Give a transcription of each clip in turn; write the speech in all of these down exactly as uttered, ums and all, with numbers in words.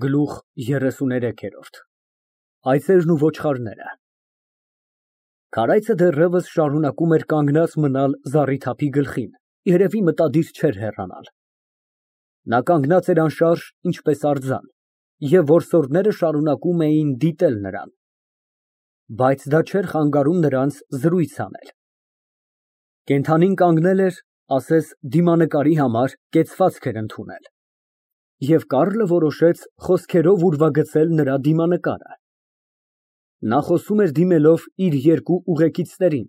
Գլուխ երեսուներեք։ Այծերն ու ոչխարները Քարայցը դեռևս շարունակում էր կանգնած մնալ զառիթափի գլխին, երևի մտադիր չէր հեռանալ։ Նա կանգնած էր անշարժ, ինչպես արձան, և որսորդները շարունակում էին դիտել նրան, բայց դա չէր խանգարում նրանց զրույց անել։ Կենդանին կանգնել էր, ասես դիմանկարի համար կեցվածք էր ընդունել, և Կարլը որոշեց խոսքերով ուրվագծել նրա դիմանկարը։ Նա խոսում էր դիմելով իր երկու ուղեկիցներին,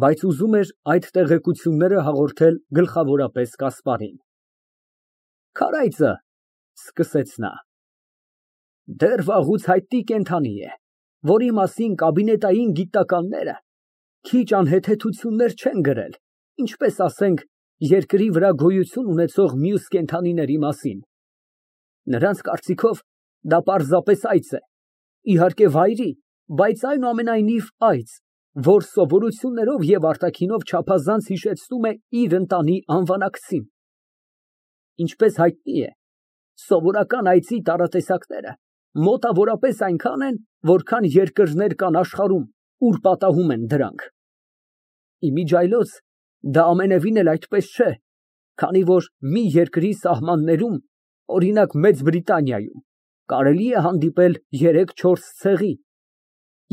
բայց ուզում էր այդ տեղեկությունները հաղորդել գլխավորապես Կասպարին։ Քարայծը, սկսեց նա, դեռ վաղուց հայտնի կենդանի է, որի մասին կաբինետային գիտնականները քիչ անհեթեթություններ չեն գրել, ինչպես, ասենք, երկրի վրա գոյություն ունեցող մյուս կենդանիների մասին։ Նրանց կարծիքով դա պարզապես այծ է, իհարկե վայրի, բայց այնուամենայնիվ այծ, որ սովորություններով և արտաքինով չափազանց հիշեցնում է իր ընտանի անվանակցին։ Ինչպես հայտնի է, սովորական այծի տարատեսակները մոտավորապես այնքան են, որքան երկրներ կան աշխարհում, ուր պատահում են դրանք։ Իմիջիայլոց դա ամենևին էլ այդպես չէ, քանի որ մի երկրի սահմաններում, օրինակ Մեծ Բրիտանիայում, կարելի է հանդիպել երեք֊չորս ցեղի,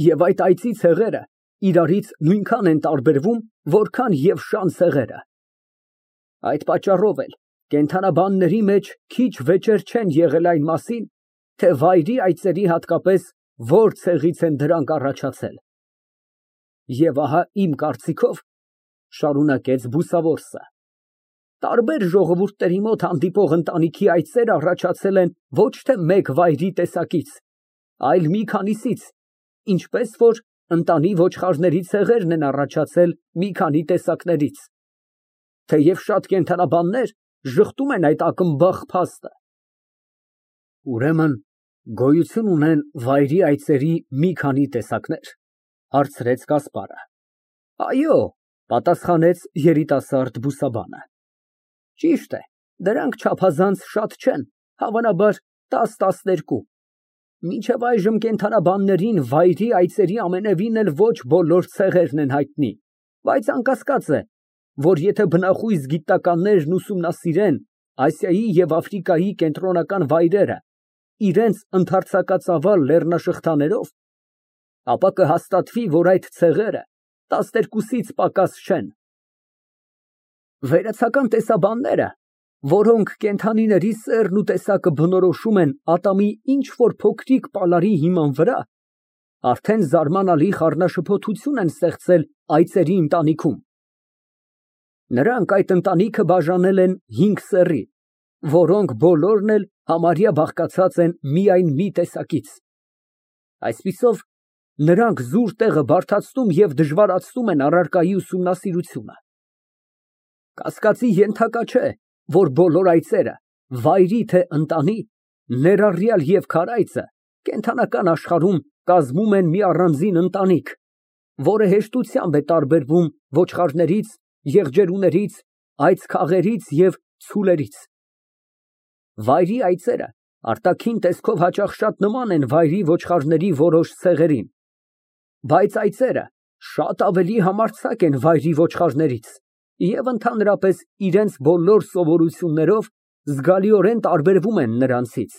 և այդ այծի ցեղերը իրարից նույնքան են տարբերվում, որքան և շան ցեղերը։ Այդ պատճառով էլ կենդանաբանների մեջ քիչ վեճեր չեն եղել այն մասին, թե վայրի այծերի հատկապես որ ցեղից են դրանք առաջացել։ Եվ ահա իմ կարծիքով, շարունակեց բուսավորսը, տարբեր ժողովուրդների մոտ հանդիպող ընտանիքի այծեր առաջացել են ոչ թե մեկ վայրի տեսակից, այլ մի քանիսից, ինչպես որ ընտանի ոչխարների ցեղերն են առաջացել մի քանի տեսակներից, թեև շատ կենդանաբաններ ժխտում են այդ ակնբախ փաստը։ Ուրեմն գոյություն ունեն վայրի այծերի մի քանի տեսակնե՞ր, հարցրեց Կասպարը։ Այո, պատասխանեց երիտասարդ բուսաբանը։ Ճիշտ է, դրանք չափազանց շատ չեն, հավանաբար տաս֊տասներկու։ Մինչև այժմ կենդանաբաններին վայրի այծերի ամենևին էլ ոչ բոլոր ցեղերն են հայտնի, բայց անկասկած է, որ եթե բնախույզ գիտնականներն ուսումնասիրեն Ասիայի և Աֆրիկայի կենտրոնական վայրերը իրենց ընդարձակածավալ լեռնաշղթաներով, ապա կհաստատվի, որ այդ ցեղերը տասներկուսից պակաս չեն։ Վերացական տեսաբանները, որոնք կենդանիների սեռն ու տեսակը բնորոշում են ատամի ինչ֊որ փոքրիկ պալարի հիման վրա, արդեն զարմանալի խառնաշփոթություն են ստեղծել այծերի ընտանիքում։ Նրանք այդ ընտանիքը բաժանել են հինգ սեռի, որոնք բոլորն էլ համարյա բաղկացած են միայն մի տեսակից։ Այսպիսով, նրանք զուր տեղը բարդացնում և դժվարացնում են առարկայի ուսումնասիրությունը։ Կասկածի ենթակա չէ, որ բոլոր այծերը, վայրի թե ընտանի, ներառյալ և քարայծը, կենդանական աշխարհում կազմում են մի առանձին ընտանիք, որը հեշտությամբ է տարբերվում ոչխարներից, եղջերուներից, այծքաղերից և ցուլերից։ Վայրի այծերը արտաքին տեսքով հաճախ շատ նման են վայրի ոչխարների որոշ ցեղերին, բայց այծերը շատ ավելի համարձակ են վայրի ոչխարներից և ընդհանրապես իրենց բոլոր սովորություններով զգալիորեն տարբերվում են նրանցից։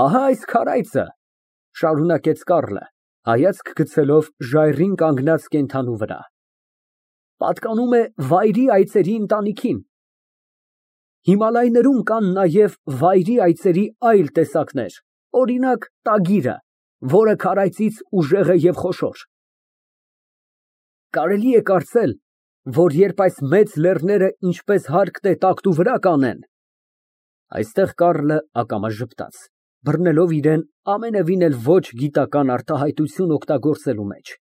Ահա այս քարայծը, շարունակեց Կարլը, հայացք գցելով ժայռին կանգնած կենդանու վրա, պատկանում է վայրի այծերի ընտանիքին։ Հիմալայներում կան նաև վայրի այծերի այլ տեսակներ, օրինակ տագիրը, որը քարայծից ուժեղ է և խոշոր։ Կարելի է կարծել, որ երբ այս մեծ լեռները ինչպես հարկն է տակտու վրա կանեն, այստեղ Կարլը ակամա ժպտաց, բռնելով իրան ամենևին էլ ոչ գիտական արտահայտություն օգտագործելու մեջ,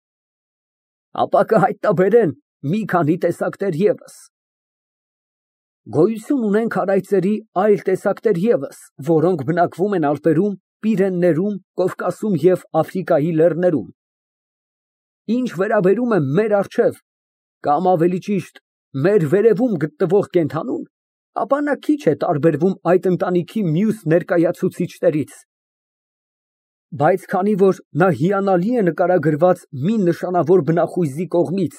ապա կհայտնաբերեն մի քանի տեսակներ ևս։ Գոյություն ունեն քարայծերի այլ տեսակներ ևս, որոնք բնակվում են Ալպերում, Պիրեններում, Կովկասում և Աֆրիկայի լեռներում։ Ինչ վերաբերում է մեր առջև, կամ ավելի ճիշտ մեր վերևում գտնվող կենդանուն, ապա նա քիչ է տարբերվում այդ ընտանիքի մյուս ներկայացուցիչներից։ Բայց քանի որ նա հիանալի է նկարագրված մի նշանավոր բնախույզի կողմից,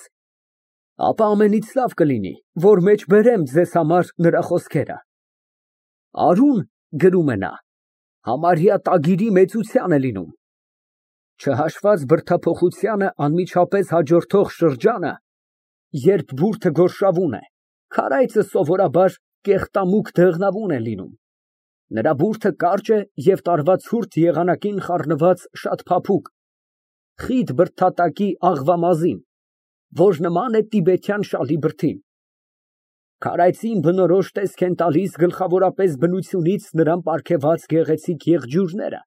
ապա ամենից լավ կլինի, որ մեջբերեմ ձեզ համար նրա խոսքերը։ Արուն, գրում է նա, համարյա տագիրի մեծության է լինում, չհաշված բրդափոխությանը անմիջապես հաջորդող շրջանը, երբ բուրդը գորշավուն է, քարայծը սովորաբար կեղտամուկ դեղնավուն է լինում, նրա բուրդը կարճ է և տարվա ցուրտ եղանակին խառնված շատ փափուկ, խիտ բրդատակի աղվամազին, որ նման է տիբեթյան շալի բրդին։ Քարայծին բնորոշ տեսք են տալիս գլխավորապես բնությունից նրան պարգևած գեղեցիկ եղջյուրները։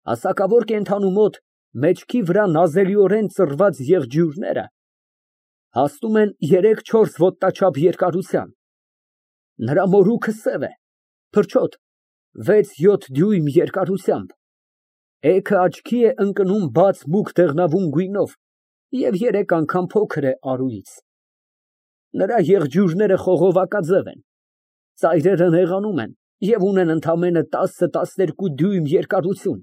Հասակավոր կենդանու մոտ մեջքի վրա նազելիորեն ծռված եղջյուրները հասնում են երեք֊չորս ոտնաչափ երկարության, նրա մորուքը սև է, փրչոտ, վեց֊յոթ դյույմ երկարությամբ, էգը աչքի է ընկնում բաց մուգ դեղնավուն գույնով և երեք անգամ փոքր է արուից։ Նրա եղջյուրները խողովակաձև են, ծայրերը նեղանում են և ունեն ընդամենը տասը֊տասներկու դյույմ երկարություն,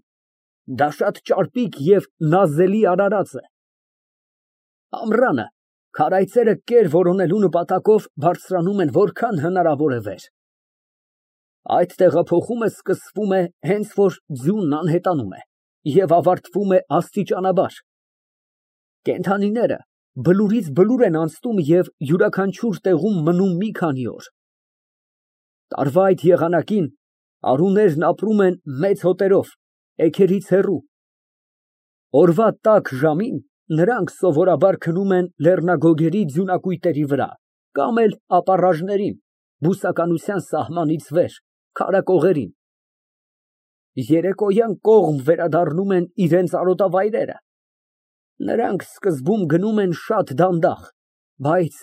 դա շատ ճարպիկ և նազելի արարած է։ Ամռանը քարայծերը կեր որոնելու նպատակով բարձրանում են որքան հնարավոր է վեր։ Այդ տեղափոխումը սկսվում է հենց որ ձյունն անհետանում է և ավարտվում է աստիճանաբար։ Կենդանիները բլուրից բլուր են անցնում և յուրաքանչյուր տեղում մնում մի քանի օր։ Տարվա այդ եղանակին արուներն ապրում են մեծ հոտերով, էգերից հեռու։ Օրվա տաք ժամին նրանք սովորաբար քնում են լեռնագոգերի ձյունակույտերի վրա կամ էլ ապառաժներին, բուսականության սահմանից վեր, քարակողերին։ Երեկոյան կողմ վերադառնում են իրենց արոտավայրերը։ Նրանք սկզբում գնում են շատ դանդաղ, բայց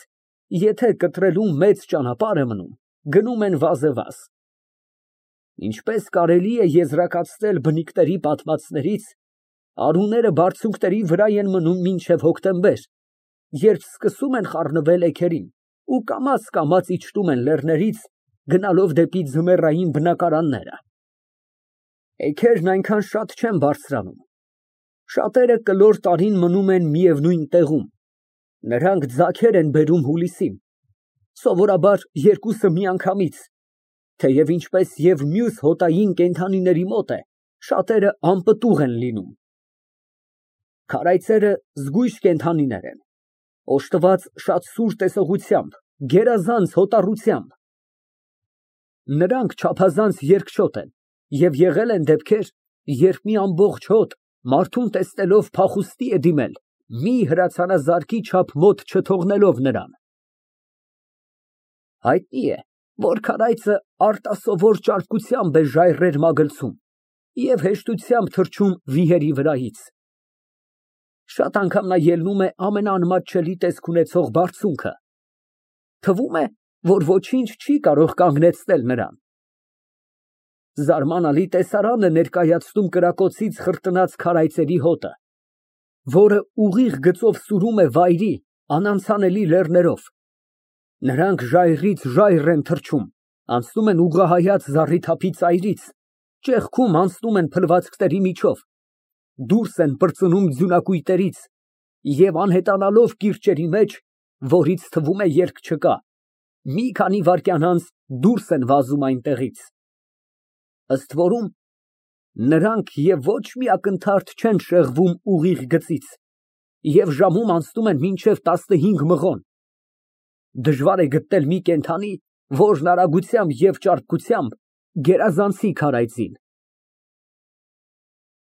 եթե կտրելու մեծ ճանապարհ է մնում, գնում են վազեվազ։ Ինչպես կարելի է եզրակացնել բնիկների պատմածներից, արուները բարձունքների վրա են մնում մինչև հոկտեմբեր, երբ սկսում են խառնվել էգերին ու կամաց֊կամաց իջնում են լեռներից, գնալով դեպի ձմեռային բնակարանները։ Էգերն այնքան շատ չեն բարձրանում։ Շատերը կլոր տարին մնում են միևնույն տեղում, նրանք ձագեր են բերում հուլիսին, սովորաբար երկուսը միանգամից, թեև ինչպես և մյուս հոտային կենդանիների մոտ է, շատերը անպտուղ են լինում։ Քարայծերը զգույշ կենդանիներ են, օժտված շատ սուր տեսողությամբ, գերազանց հոտառությամբ։ Նրանք չափազանց երկչոտ են և եղել են դեպքեր, երբ մի ամբողջ հոտ մարդուն տեսնելով փախուստի է դիմել, մի հրացանազարկի չափ մոտ չթողնելով նրան։ Հայտնի է, որ քարայծը արտասովոր ճարպկությամբ է ժայռեր մագլցում և հեշտությամբ թռչում վիհերի վրայից։ Շատ անգամ նա ելնում է ամենաանմատչելի տեսք ունեցող բարձունքը։ Թվում է, որ ոչինչ չի կարող կանգնեցնել նրան։ Զարմանալի տեսարան է ներկայացնում կրակոցից խրտնած քարայծերի հոտը, որը ուղիղ գծով սուրում է վայրի, անանցանելի լեռներով։ Նրանք ժայռից ժայռ են թռչում, անցնում են ուղղահայաց զառիթափի ծայրից, ճեղքում անցնում են փլվածքների միջով, դուրս են պրծնում ձյունակույտերից և անհետանալով կիրճերի մեջ, որից թվում է երկ չկա, մի քանի վայրկյան անց դուրս են վազում այնտեղից։ Ըստ որում, նրանք և ոչ մի ակնթարթ չեն շեղվում ուղիղ գծից և ժամում անցնում են մինչև տասնհինգ մղոն։ Դժվար է գտնել մի կենդանի, որն արագությամբ և ճարպկությամբ գերազանցի քարայծին։